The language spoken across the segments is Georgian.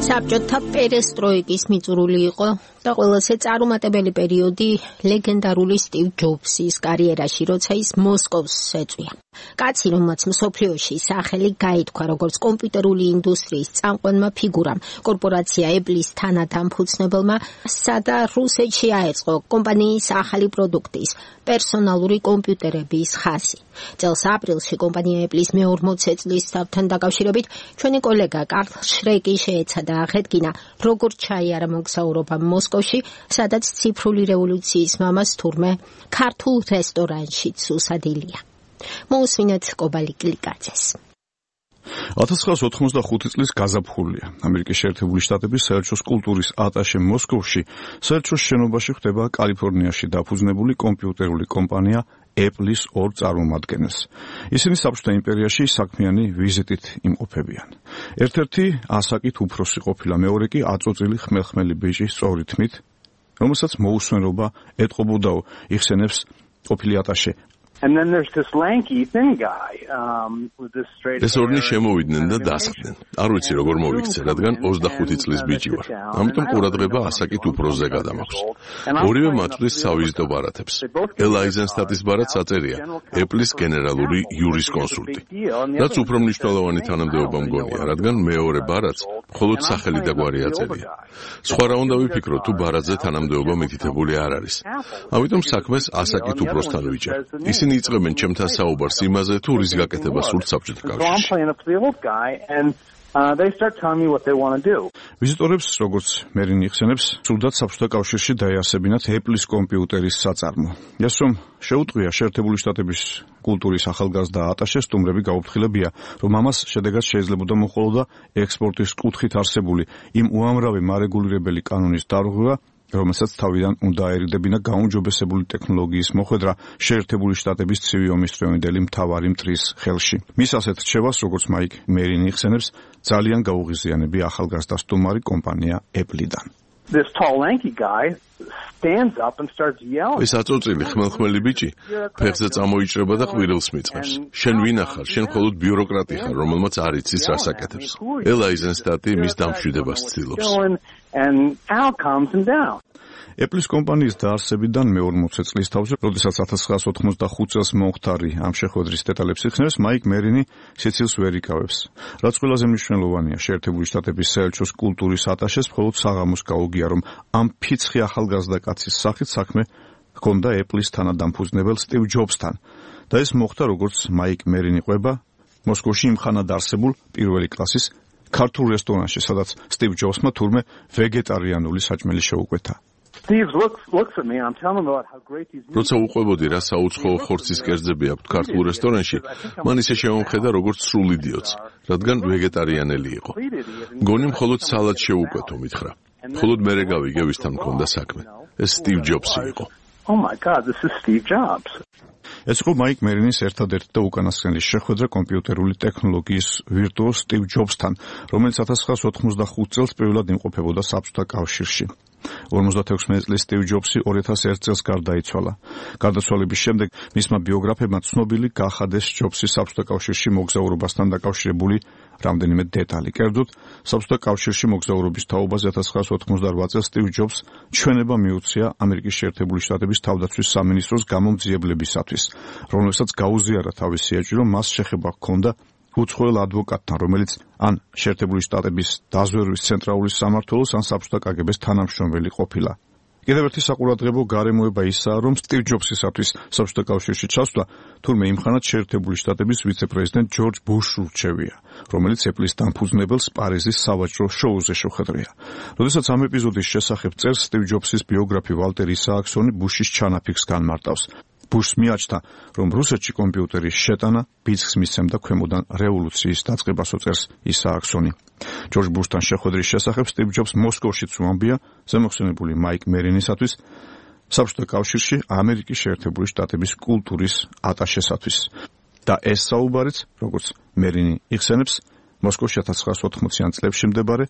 საბჭოთა პერესტროიკის მიწურული იყო და ყველაზე წარუმატებელი პერიოდი ლეგენდარული სტივ ჯობსის კარიერაში, როცა ის მოსკოვს ეწვია. კაცი, რომელმაც მსოფლიოში სახელი გაითქვა როგორც კომპიუტერული ინდუსტრიის წამყვანმა ფიგურამ, კორპორაცია Apple-ის თანადამფუძნებელმა, სადა რუსეთში აეწყო კომპანიის ახალი პროდუქტის, პერსონალური კომპიუტერების ხაზი. წელს აპრილში კომპანია Apple-ის მე-40 წლისთავთან დაკავშირებით ჩვენი კოლეგა კარლ შრეკი შეეცადა აღედგინა, როგორ ჩაიარა მოგზაურობა მოსკოვში, სადაც ციფრული რევოლუციის მამას თურმე ქართულ რესტორანშიც უსადილია. მოусმინეთ კობალი კლიკაძეს. 1985 წლის გაზაფხულია. ამერიკის შეერთებული შტატების საელჩოს კულტურის ატაშე მოსკოვში, საელჩოს შენობაში ხდება კალიფორნიაში დაფუძნებული კომპიუტერული კომპანია Apple-ის ორ წარმომადგენელს. ისინი საბჭოთა იმპერიაში საქმიანი ვიზიტით იმყოფებიან. ერთ-ერთი ასაკით უფროსი ყოფილა, მეორე კი აწოწილი ხმელხმელი ბიჭი სწორი თმით, რომელსაც მოусვენრობა ეტყობოდაო, იხსენებს ყოფილი ატაშე. And then there's this lanky thin guy with this straight ეს ორნი შემოვიდნენ და დასხდნენ. არ ვიცი როგორ მოვიქცე, რადგან 25 წლის ბიჭი ვარ. ამიტომ ყურადღება ასაკით უფროსზე გადამაქვს. ორივე მათთვის სავიზიტო ბარათებს. ელ აიზენსტატის ბარათს აწერია Apple-ის გენერალური იურისკონსულტი. რაც უფრო მნიშვნელოვანი თანამდებობა მგონია, რადგან მეორე ბარათს მხოლოდ სახელი და გვარი აწერია. სხვა რა უნდა ვიფიქრო, თუ ბარათზე თანამდებობა მითითებული არ არის. ამიტომ საქმეს ασაკით უფროსთან ვიჭერ. ისინი იწყებენ ჩემთან საუბარს იმაზე, თუ რის გაკეთება სურთ საბჭოთა კავშირში. They start telling me what they want to do. ვიზიტორებს, როგორც მერინი იხსენებს, სურდათ საბჭოთა კავშირში დაეასებინათ Apple-ის კომპიუტერის საწარმო. ის რომ შეუტყვია შეერთებული შტატების კულტურის ახალგაზრდა ატაშეს, სტუმრები გაუფრთხილებია, რომ ამას შედეგად შეიძლებოდა მოხოლოდა ექსპორტის კუთხით არსებული იმ უამრავი მარეგულირებელი კანონის დარღვევა, რომელსაც თავიდან უნდა აერიდებინა გაუმჯობესებული ტექნოლოგიის მოხვედრა შეერთებული შტატების ცივი ომის დროინდელი მთავარი მტრის ხელში. მის ასეთ რჩევას, როგორც მაიკ მერინი იხსენებს, ძალიან გაუღიზიანებია ახალგაზრდა სტუმარი კომპანია Apple-დან. This tall lanky guy stands up and starts yelling. ეს აწოწილი ხმელხმელი ბიჭი ფეხზე წამოიჭრება და ყვირილს მიწყებს. შენ ვინ ახარ? შენ მხოლოდ ბიუროკრატი ხარ, რომელმაც არ იცის რას აკეთებს. ელ აიზენსტატი მის დამშვიდებას ცდილობს. And Al calms him down. Apple-ის კომპანიის დაარსებიდან მე-40 წლის თავზე, როდესაც 1985 წელს მომხდარი ამ შეხვედრის დეტალებს იხსენებს, მაიკ მერინი სიცილს ვერ იკავებს. რაც ყველაზე მნიშვნელოვანია, შეერთებული შტატების საელჩოს კულტურის ატაშეს მხოლოდ საღამოს გაუგია, რომ ამ ფიცხი ახალგაზრდა კაცის სახით საქმე ჰქონდა Apple-ის თანადამფუძნებელ სტივ ჯობსთან. და ეს მოხდა, როგორც მაიკ მერინი ყვება, მოსკოვში იმხანად არსებულ პირველი კლასის ქართულ რესტორანში, სადაც სტივ ჯობსმა თურმე ვეგეტარიანული საჭმელი შეუკვეთა. Steve looks at me and I'm telling him about how great these meals. როცა უყვებოდი რა საუცხოო ხორცის კერძები აქვთ ქართულ რესტორანში, მან ისე შემომხედა როგორც სრულ იდიოტს, რადგან ვეგეტარიანელი იყო. მგონი მხოლოდ სალატს შეუკვეთო, მითხრა. მხოლოდ მერე გავიგე ვისთან მქონდა საქმე. ეს სტივ ჯობსი იყო. Oh my God, this is Steve Jobs. ეს იყო მაიკ მერინის ერთადერთი და უკანასკნელი შეხვედრა კომპიუტერული ტექნოლოგიის ვირტუოზ სტივ ჯობსთან, რომელიც 1985 წელს პირველად იმყოფებოდა საბჭოთა კავშირში. 56 წლის სტივ ჯობსი 2001 წელს გარდაიცვალა. გარდაცვალების შემდეგ მისმა ბიოგრაფებმა ცნობილი გახადეს ჯობსის საბჭოთა კავშირში მოგზაურობასთან დაკავშირებული რამდენიმე დეტალი. კერძოდ, საბჭოთა კავშირში მოგზაურობის თაობაზე 1988 წელს სტივ ჯობს ჩვენება მიუწია ამერიკის შეერთებული შტატების თავდაცვის სამინისტროს გამომძიებლებისათვის, რომელსაც გაუზიარა თავისი ეჭვი, რომ მას შეხება ჰქონდა უცხოელ ადვოკატთან, რომელიც ან შეერთებული შტატების დაზვერვის ცენტრალური სამმართველოს, ან საბჭოთა კგბ-ს თანამშრომელი ყოფილა. კიდევ ერთი საყურადღებო გარემოება ისაა, რომ სტივ ჯობსისათვის საბჭოთა კავშირში ჩასვლა თურმე იმხანად შეერთებული შტატების ვიცე-პრეზიდენტ ჯორჯ ბუშს ურჩევია, რომელიც Apple-ის დამფუძნებელს პარიზის სავაჭრო შოუზე შეხვედრია. როდესაც ამ ეპიზოდის შესახებ წერს, სტივ ჯობსის ბიოგრაფი ვალტერ ისააქსონი ბუშის ჩანაფიქრს განმარტავს. ბუშს მიაჩნდა, რომ რუსეთში კომპიუტერის შეტანა ბიძგს მისცემდა ქვემოდან რევოლუციის დაწყებას, წერს ისააქსონი. ჯორჯ ბუშთან შეხვედრის შესახებ სტივ ჯობს მოსკოვშიც უამბია ზემოხსენებული მაიკ მერინისათვის საბჭოთა კავშირში ამერიკის შეერთებული შტატების კულტურის ატაშესათვის. და ეს საუბარიც, როგორც მერინი იხსენებს, მოსკოვში 1980-იან წლებში მდებარე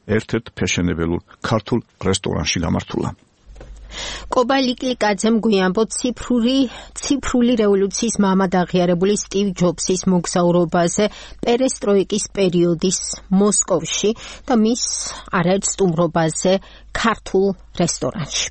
ერთ-ერთ ფეშენებელურ ქართულ რესტორანში გამართულა. კობა ლიკლიკაძემ გვიანბო ციფრული რევოლუციის მამად აღიარებული სტივ ჯობსის მოგზაურობაზე პერესტროიკის პერიოდის მოსკოვში და მის არაერთ სტუმრობაზე ქართულ რესტორანში.